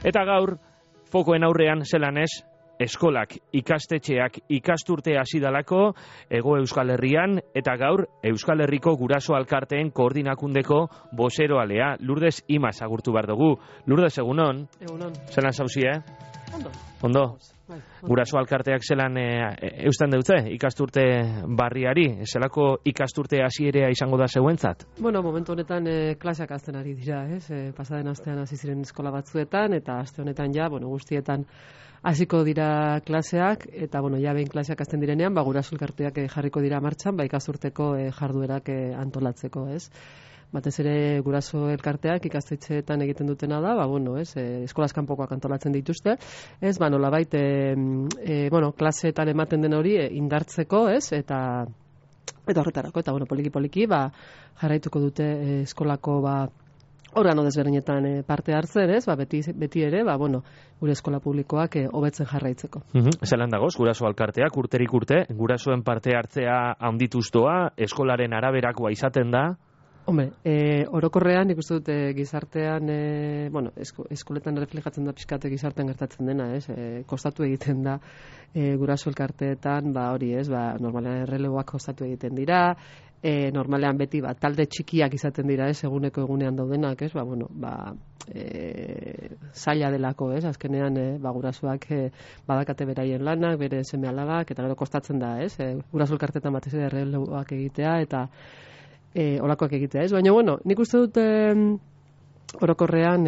Eta gaur, fokoen aurrean zelan ez, eskolak, ikastetxeak, ikasturte hasi dalako Hego Euskal Herrian, eta gaur Euskal Herriko Guraso Alkarteen koordinakundeko bozeroalea, Lourdes Imaz agurtu behar dugu. Lourdes, egunon? Egunon. Zelan zauzi, Ondo. Ondo? Guraso Alkarteak zelan eusten deutze ikasturte barriari? Zelako ikasturte hasierea izango da zeuentzat? Bueno, momentu honetan klaseak hasten ari dira, ez? Pasaden astean hasi ziren eskola batzuetan, eta aste honetan ja, guztietan hasiko dira klaseak, eta ja behin klaseak hasten direnean, Guraso Elkarteak jarriko dira martxan, ikasturteko jarduerak antolatzeko, ez? Batez ere Guraso Elkarteak ikastetxeetan egiten dutena da, eskolaz kanpokoak antolatzen dituzte, ez, nolabait, klaseetan ematen den hori indartzeko, ez, eta horretarako, eta poliki-poliki, jarraituko dute eskolako, organo desberdinetan parte hartzen, ez, beti ere, gure eskola publikoak hobetzen jarraitzeko. Zelan dagoz, Guraso Alkarteak urterik urte, gurasoen parte hartzea handituz doa, eskolaren araberakoa izaten da? Hombre, orokorrean ikusten dut gizartean, eskoletan reflejatzen da pixkate gizartean gertatzen dena, ez? Kostatu egiten da Guraso Elkarteetan, hori, ez? Normalean erreleboak kostatu egiten dira, normalean beti talde txikiak izaten dira, ez? Eguneko egunean daudenak, ez? Zaila delako, ez? Azkenean, gurasoak badakate beraien lanak, bere seme-alabak, eta gero kostatzen da, ez? Guraso Elkarteetan batez ere erreleboak egitea, eta olakoak egitea, ez? Baina, nik uste dut orokorrean,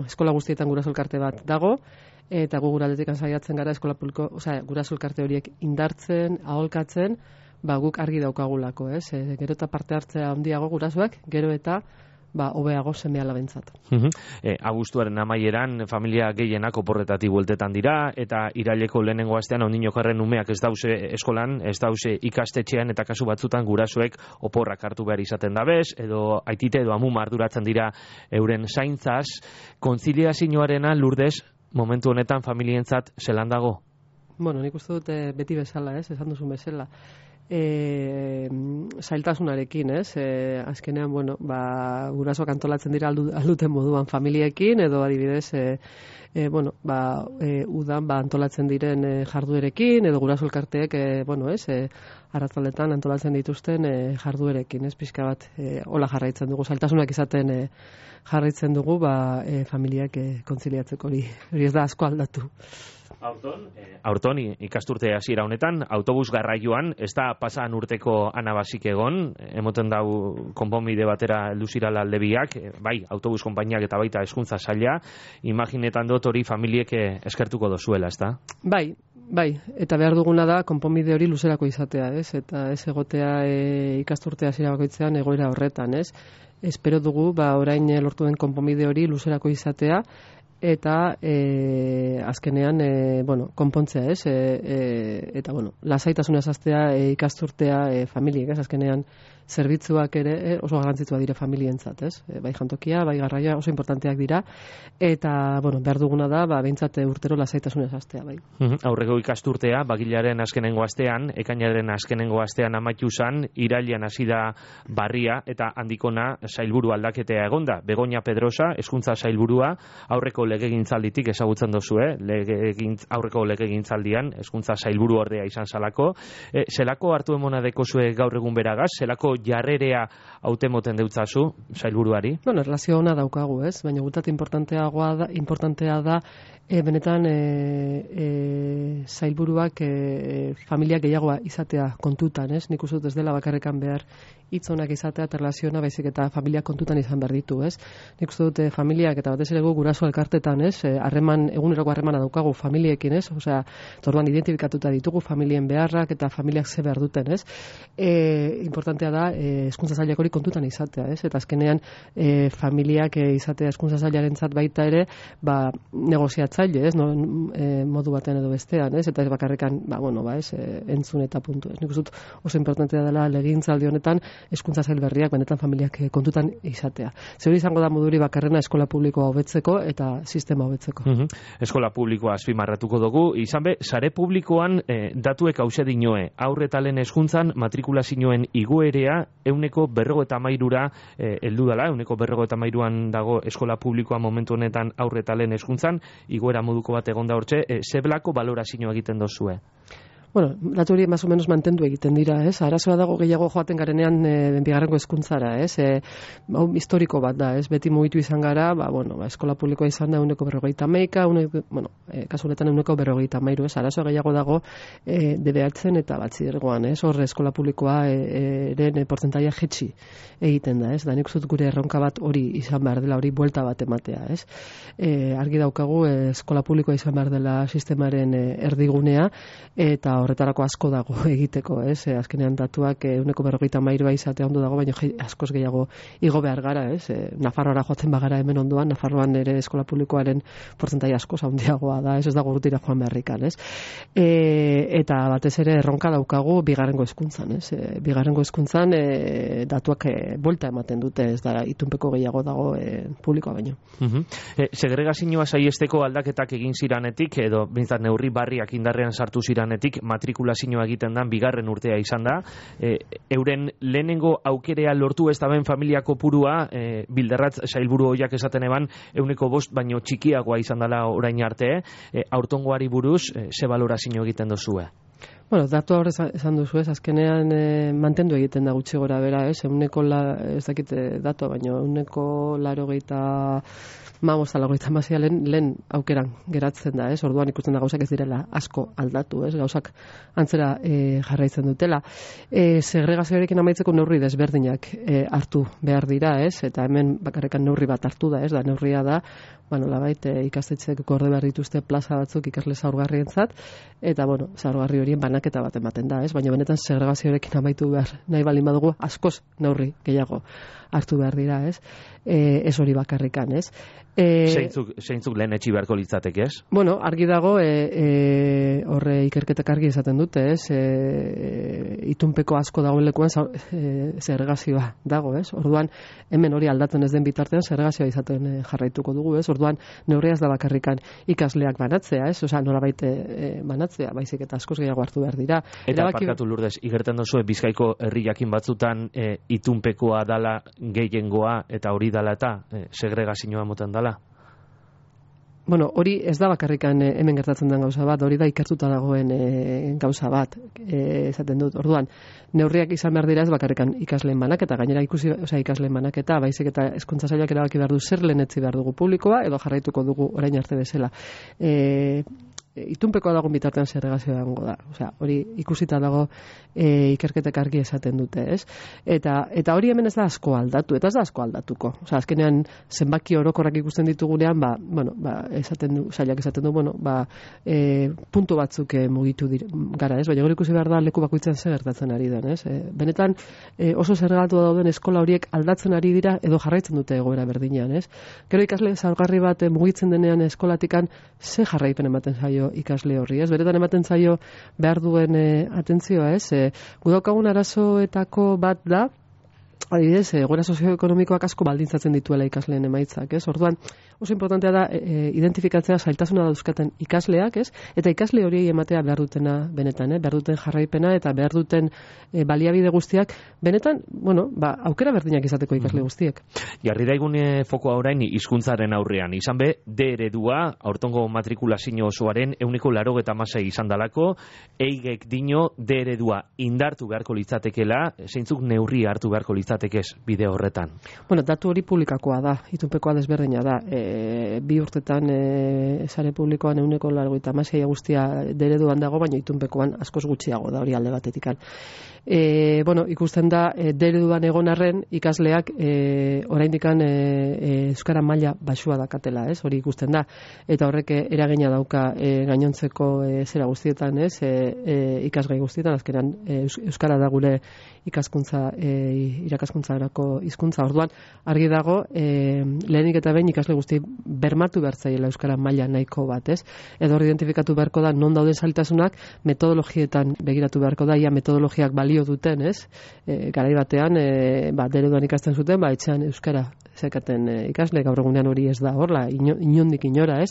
eskola guztietan Guraso Elkarte bat dago, eta gu guraldetik saiatzen gara eskola publiko, Guraso Elkarte horiek indartzen, aholkatzen, guk argi daukagulako, ez? Gero eta parte hartzea handiago gurasoak, gero eta hobeago seme-alabentzat. Abuztuaren amaieran familia gehienak oporretatik bueltetan dira, eta iraileko lehenengo astean ondinokarren umeak ez dauze eskolan, ez dauze ikastetxean, eta kasu batzutan gurasoek oporrak hartu behar izaten dabez, edo aitite edo amuma arduratzen dira euren zaintzaz. Kontziliazioarena, Lourdes, momentu honetan familientzat zelan dago? Nik uste dut beti bezala, ez? Esan duzun bezala. Zailtasunarekin, ez? Azkenean, gurasoak antolatzen dira alduten moduan familiekin, edo adibidez, udan antolatzen diren jarduerekin, edo Guraso Elkarteek, arratzaletan antolatzen dituzten jarduerekin, ez? Pixka bat, hola jarraitzen dugu, zailtasunak izaten jarraitzen dugu, familiak kontziliatzeko hori ez da asko aldatu. Aurton, ikasturte hasiera honetan, autobus garraioan, ez da pasan urteko anabasik egon, emoten dau konponbide batera heldu zirala aldebiak, bai, autobus konpainiak eta baita hezkuntza saila, imaginetan dut hori familiek eskertuko dozuela, ez da? Bai, eta behar duguna da konponbide hori luzerako izatea, ez? Eta ez egotea ikasturte hasiera bakoitzean egoera horretan, ez? Espero dugu, orain lortu den konponbide hori luzerako izatea, eta azkenean konpontzea, ez? Eta lasaitasunez hastea ikasturtea familiek, ez? Azkenean zerbitzuak ere oso garrantzitsua dira familientzat, ez? Bai jantokia, bai garraia oso importanteak dira, eta behar duguna da behintzat urtero lasaitasunez hastea, bai. Aurreko ikasturtea bagilaren azkenengo astean, ekainaren azkenengo astean amaitu zan, irailean hasi da barria, eta handikona sailburu aldaketea egonda. Begoña Pedrosa, hezkuntza sailburua, aurreko legegintzalditik ezagutzen dozu, aurreko legegintzaldian hezkuntza sailburu ordea izan zalako. Zelako hartu emona dekozue gaur egun beragaz? Zelako jarrerea hautemoten deutzazu sailburuari? Erlazio ona daukagu, ez? Baina gutat importantea da benetan sailburuak familia gehiagoa izatea kontutan, ez? Nik uste dut ez dela bakarrekan behar hitz onak izatea eta erlaziona, baizik eta familia kontutan izan behar ditu, ez? Nik uste dut familiak eta batez ere Guraso Elkartetan, ez? Eguneroko harremana daukagu familiekin, ez? Orduan identifikatuta ditugu familien beharrak eta familiak ze behar duten, ez? Importantea da hezkuntza sailak hori kontutan izatea, ez? Eta azkenean familiak izatea hezkuntza sailarentzat baita ere, negoziatzen sortzaile, ez, no, modu batean edo bestean, ez, eta ez bakarrekan, entzun eta puntu, ez. Nik uste dut oso importantea dela legegintzaldi honetan hezkuntza sail berriak benetan familiak kontutan izatea. Zer izango da moduri bakarrena eskola publikoa hobetzeko eta sistema hobetzeko. Eskola publikoa azpimarratuko dugu, izan be, sare publikoan datuek hause dinoe, aurre eta lehen hezkuntzan matrikulazioen igoerea 53%ra heldu dela, 53%an dago eskola publikoa momentu honetan aurre eta lehen hezkuntzan, igoera moduko bat egon da hortxe, zeblako balorazio egiten dozue? Bueno, datu hori más o menos mantendu egiten dira, ez? Arazoa dago gehiago joaten garenean bigarrengo hezkuntzara, ez? Historiko bat da, ez? Beti mugitu izan gara, eskola publikoa izan da 51%, kasu honetan 53%, ez? Arazoa gehiago dago DBH-en eta batxilergoan, ez? Hor eskola publikoa eren portzentaia jetxi egiten da, ez? Da nik uste dut gure erronka bat hori izan behar dela, hori buelta bat ematea, ez? Argi daukagu eskola publikoa izan behar dela sistemaren erdigunea, eta horretarako asko dago egiteko, ez? Azkenean datuak 53% izatea ondo dago, baina askoz gehiago igo behar gara, ez? Nafarroara joatzen bagara hemen ondoan, Nafarroan ere eskola publikoaren portzentaia askoz handiagoa da, ez dago urtira joan beharrikan, ez? Eta batez ere erronka daukagu bigarrengo hezkuntzan, ez? Bigarrengo hezkuntzan datuak buelta ematen dute, ez da itunpeko gehiago dago publikoa baino. Segregazioa saiesteko aldaketak egin ziranetik, edo bintzat neurri barriak indarrean sartu ziranetik, matrikulazioa egiten dan bigarren urtea izan da. Euren lehenengo aukerea lortu ez da ben familia kopurua, Bildarratz sailburu hoiak esaten eban, 5% baino txikiagoa izan dela orain arte, aurtengoari buruz, ze balorazio egiten dozue? Bueno, datu hor esan duzu, ez, azkenean mantendu egiten da gutxi gora bera, ez, ez dakit datua, baina 80% lehen aukeran geratzen da, ez, orduan ikusten da gauzak ez direla asko aldatu, ez, gauzak antzera jarraitzen dutela. Segregazioarekin amaitzeko neurri desberdinak hartu behar dira, ez, eta hemen bakarrekan neurri bat hartu da, ez, da neurria da, labait ikastetxeek gorde behar dituzte plaza batzuk ikasle zaurgarrientzat, eta, zaurgarri horien banaketa bat ematen da, ez? Baina benetan segregazioarekin amaitu behar nahi baldin badugu askoz neurri gehiago hartu behar dira, ez? Ez hori bakarrikan, ez? Zeintzuk lehen etxi beharko litzatek, ez? Bueno, argi dago, horre ikerketak argi esaten dute, ez? Itunpeko asko dagoen lekuan segregazioa dago, ez? Orduan, hemen hori aldatzen ez den bitartean segregazioa izaten jarraituko dugu, ez? Orduan, neurria ez da bakarrikan ikasleak banatzea, ez? Osea, norabait banatzea, baizik eta askoz gehiago hartu behar dira. Eta parkatu Lourdes, igerten dozu Bizkaiko herri jakin batzutan itunpekoa dala gehiengoa eta hori dala eta segregazioa moten dala? Bueno, hori ez da bakarrikan hemen gertatzen den gauza bat, hori da ikertuta dagoen gauza bat, esaten dut. Orduan, neurriak izan behar dira ez bakarrikan ikasleen banaketa, gainera ikasleen banaketa, baizik eta hezkuntza sailak erabaki behar du zer lehenetzi behar dugu publikoa, edo jarraituko dugu orain arte bezala. Itunpekoa dagoen bitartean segregazioa dago da. Osea, hori ikusita dago ikerketek argi esaten dute, ez? Eta hori hemen ez da asko aldatu, eta ez da asko aldatuko. Osea, azkenean zenbaki orokorrak ikusten ditugunean, sailak esaten du, puntu batzuk mugitu gara, ez? Baina gero ikusi behar da leku bakoitzan zer gertatzen ari den, ez? Benetan oso zergatu dauden eskola horiek aldatzen ari dira edo jarraitzen dute egoera berdinean, ez? Gero ikasle zaurgarri bat mugitzen denean eskolatikan ze jarraipen ematen zaio ikasle horri, ez? Beretan ematen zaio behar duen atentzioa, ez? Gu daukagun arazoetako bat da, adibidez, egoera sozioekonomikoak asko baldintzatzen dituela ikasleen emaitzak, ez? Orduan, oso importantea da identifikatzea zailtasuna dauzkaten ikasleak, ez? Eta ikasle horiei ematea behar dutena benetan, behar duten jarraipena eta behar duten baliabide guztiak, benetan, aukera berdinak izateko ikasle guztiek. Jarri daigune fokoa orain hizkuntzaren aurrean, izan be, D eredua, aurtengo matrikulazio osoaren 96% izan dalako, eigek dino D eredua indartu beharko litzatekela, zeintzuk neurri hartu beharko litzatekez bide horretan? Bueno, datu hori publikakoa da, itunpekoa desberdina da. 2 urtetan sare publikoan 96% guztia D ereduan dago, baina itunpekoan askoz gutxiago da hori alde batetikan. Ikusten da D ereduan egon arren ikasleak oraindikan euskara maila baxua dakatela, ez? Hori ikusten da. Eta horrek eragina dauka gainontzeko zera guztietan, ez? Ikasgai guztietan, azkenan euskara da gure ikaskuntza irakaskuntzarako hizkuntza. Orduan, argi dago, lehenik eta behin ikasle guzti bermatu behar zaiela euskara maila nahiko bat, ez? Edo hor identifikatu beharko da non dauden zailtasunak, metodologietan begiratu beharko da, ia metodologiak balio duten, ez? Garai batean, dereduan ikasten zuten, etxean euskara zekaten ikasle, gaur egunean hori ez da horla, inondik inora, ez?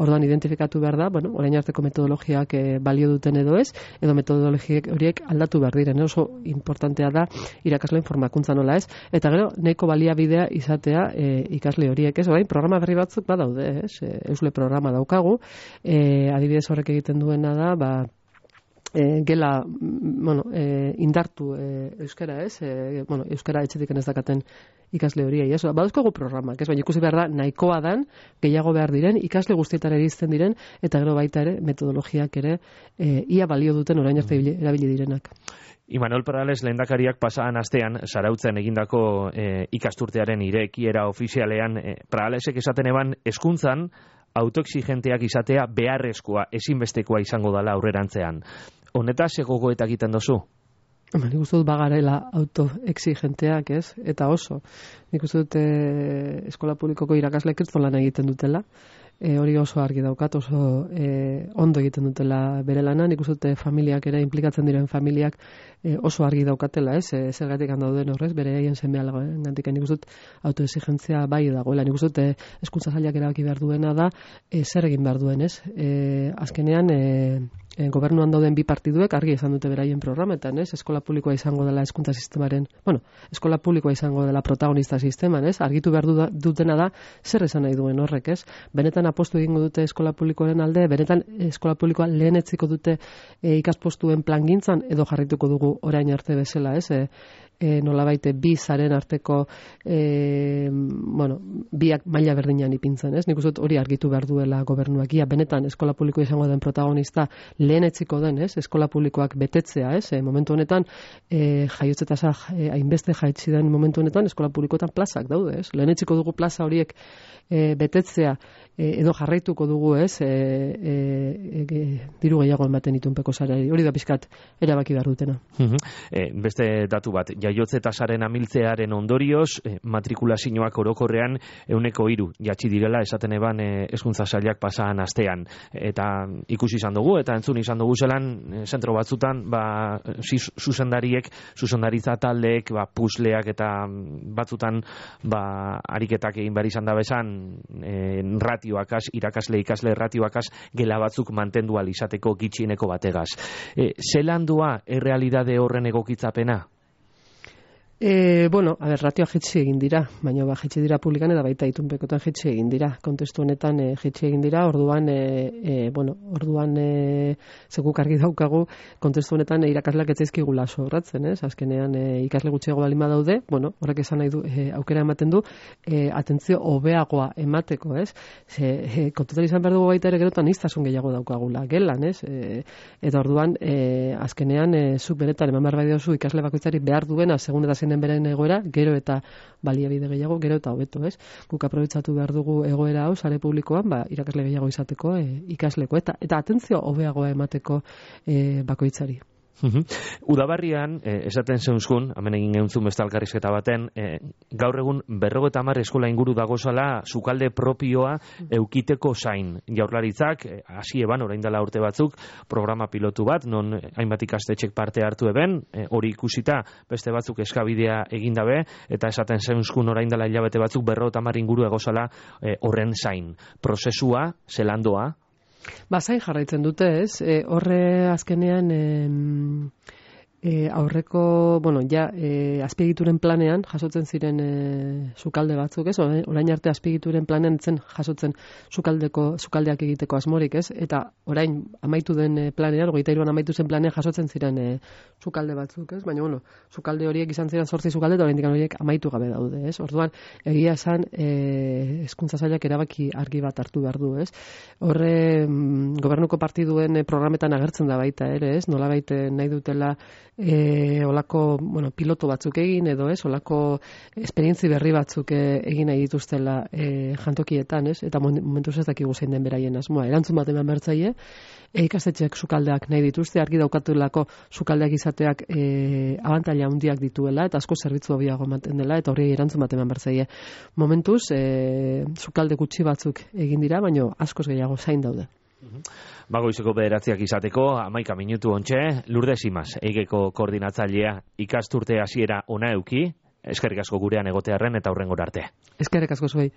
Orduan identifikatu behar da, orain arteko metodologiak balio duten edo ez, edo metodologiak horiek aldatu behar diren, oso importantea da irakasleen formakuntza nola ez, eta gero nahiko baliabidea izatea ikasle horiek ez, orain programa berri batzuk badaude, ez? Eusle programa daukagu, adibidez horrek egiten duena da, gela, indartu euskara, ez? Euskara etxetik ez dakaten ikasle horiei, ez? Badauzkogu programak, ez? Baina ikusi behar da, nahikoa dan, gehiago behar diren, ikasle guztietara iristen diren, eta gero baita ere, metodologiak ere, ia balio duten orain arte erabili direnak. Imanol Perales lehendakariak pasaan astean, Zarautzen egindako ikasturtearen irekiera ofizialean, Peralesek esaten eban, hezkuntzan autoexigenteak izatea beharrezkoa, ezinbestekoa izango dela aurrerantzean. Honetaz gogoeta egiten dozu? Nik uste dut bagarela autoexigenteak, ez? Eta oso. Nik uste dut eskola publikoko irakasleek kriston lan egiten dutela. Hori oso argi daukat, oso ondo egiten dutela bere lana. Nik uste dut familiak ere, implikatzen diren familiak oso argi daukatela, ez? Zergatik handauden horrez, bere egin zenbealagoen gantik. Nik uste dut autoexigentzia bai dagoela. Nik uste dut hezkuntza sailak erabaki behar duena da, zer egin behar duen, ez? Azkenean, gobernuan dauden bi partiduek argi esan dute beraien programetan, ez? Eskola publikoa izango dela hezkuntza sistemaren, eskola publikoa izango dela protagonista sisteman, ez? Argitu behar dutena da zer esan nahi duen horrek, ez? Benetan apostu egingo dute eskola publikoaren alde, benetan eskola publikoa lehenetziko dute ikaspostuen plangintzan edo jarrituko dugu orain arte bezala, ez? Nolabait bi zaren arteko biak maila berdinean ipintzen, ez? Nik uste hori argitu behar duela gobernuak. Ia benetan eskola publikoa izango den protagonista lehenetziko den, ez? Eskola publikoak betetzea, ez? Momentu honetan jaiotze tasa hainbeste jaitsi den momentu honetan eskola publikoetan plazak daude, ez? Lehenetziko dugu plaza horiek betetzea edo jarraituko dugu, ez? Diru gehiago ematen itunpeko sareari. Hori da pixkat erabaki behar dutena. Beste datu bat, jaiotze tasaren amiltzearen ondorioz, matrikulazioak orokorrean 3% jatsi direla esaten eban hezkuntza sailak pasaan astean. Eta ikusi izan dugu, eta entzun izan dugu zelan, zentro batzutan, zuzendaritza taldeek, pusleak eta batzutan, ariketak egin behar izan da bezan, ratioakaz, irakasle ikasle ratioakaz, gela batzuk mantendu izateko gitxieneko bategaz. Zelan doa errealidade horren egokitzapena? Ratioa jetxi egin dira, baina jetxi dira publikan eta baita itunpekotan jetxi egin dira. Kontestu honetan jetxi egin dira, orduan zeguk argi daukagu, kontestu honetan irakasleak etzaizkigula sobratzen, ez? Azkenean ikasle gutxiago balima daude, horrek esan nahi du, aukera ematen du, atentzio hobeagoa emateko, ez? Kontutan izan behar dugu baita ere gerotan iztasun gehiago daukagula, gelan, ez? Eta orduan, azkenean, zuk benetan eman behar bai dozu ikasle bakoitzari behar duena, segun eta den beren egoera, gero eta baliabide gehiago, gero eta hobeto, ez? Guk aprobetxatu behar dugu egoera hau, sare publikoan, irakasle gehiago izateko ikasleko, eta atentzio hobeagoa emateko bakoitzari. Udabarrian, esaten zeunzkun, hemen egin geuntzun beste elkarrizketa baten, gaur egun 50 eskola inguru dagozala sukalde propioa eukiteko zain. Jaurlaritzak, hasi eban, orain dela urte batzuk, programa pilotu bat, non hainbat ikastetxek parte hartu eben, hori ikusita beste batzuk eskabidea egindabe, eta esaten zeunzkun orain dela hilabete batzuk 50 inguru egozala horren zain. Prozesua, zelandoa? Zain jarraitzen dute, ez? Horre azkenean aurreko, azpiegituren planean jasotzen ziren sukalde batzuk, ez? Orain arte azpiegituren planean zen jasotzen sukaldeak egiteko asmorik, ez? Eta orain amaitu den planean, 23an amaitu zen planean jasotzen ziren sukalde batzuk, ez? Baina, sukalde horiek izan ziren 8 sukalde, eta oraindik horiek amaitu gabe daude, ez? Orduan, egia esan, hezkuntza sailak erabaki argi bat hartu behar du, ez? Horre, gobernuko partiduen programetan agertzen da baita ere, ez? Nolabait nahi dutela olako, piloto batzuk egin edo ez, olako esperientzi berri batzuk egin nahi dituztela jantokietan, ez? Eta momentuz ez dakigu zein den beraien asmoa. Erantzun bat eman bertzaile, ikastetxeak sukaldeak nahi dituzte, argi daukatulako sukaldeak izateak abantaila handiak dituela, eta asko zerbitzu hobiago ematen dela, eta hori erantzun bat eman bertzaile. Momentuz, sukalde gutxi batzuk egin dira, baina askoz gehiago zain daude. Goizeko 9 izateko, 11 minutu ontxe, Lourdes Imaz, Eigeko koordinatzailea, ikasturte hasiera ona euki, eskerrik asko gurean egotearren eta hurrengora arte. Eskerrik asko zuei.